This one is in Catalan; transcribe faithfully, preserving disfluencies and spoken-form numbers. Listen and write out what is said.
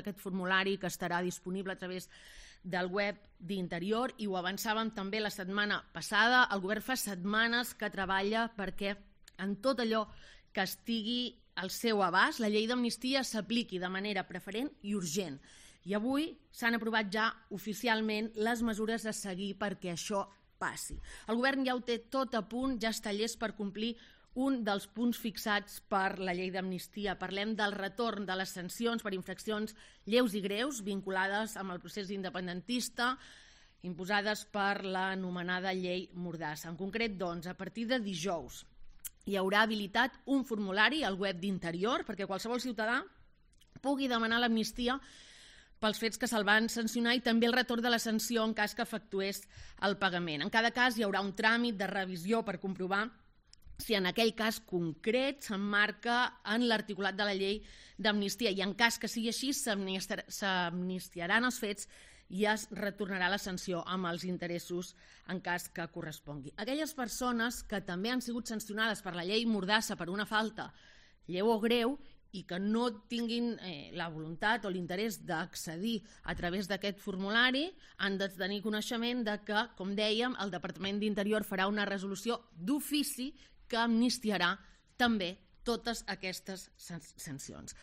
aquest formulari que estarà disponible a través del web d'Interior, i ho avançàvem també la setmana passada. El govern fa setmanes que treballa perquè en tot allò que estigui al seu abast la llei d'amnistia s'apliqui de manera preferent i urgent. I avui s'han aprovat ja oficialment les mesures a seguir perquè això passi. El govern ja ho té tot a punt, ja està llest per complir un dels punts fixats per la llei d'amnistia. Parlem del retorn de les sancions per infraccions lleus i greus vinculades amb el procés independentista imposades per l'anomenada llei Mordassa. En concret, doncs, a partir de dijous hi haurà habilitat un formulari al web d'Interior perquè qualsevol ciutadà pugui demanar l'amnistia pels fets que se'l van sancionar i també el retorn de la sanció en cas que efectués el pagament. En cada cas hi haurà un tràmit de revisió per comprovar si en aquell cas concret s'emmarca en l'articulat de la llei d'amnistia i en cas que sigui així s'amnistiaran els fets i es retornarà la sanció amb els interessos en cas que correspongui. Aquelles persones que també han sigut sancionades per la llei Mordassa per una falta lleu o greu i que no tinguin eh, la voluntat o l'interès d'accedir a través d'aquest formulari han de tenir coneixement de que, com dèiem, el Departament d'Interior farà una resolució d'ofici que amnistiarà també totes aquestes sancions.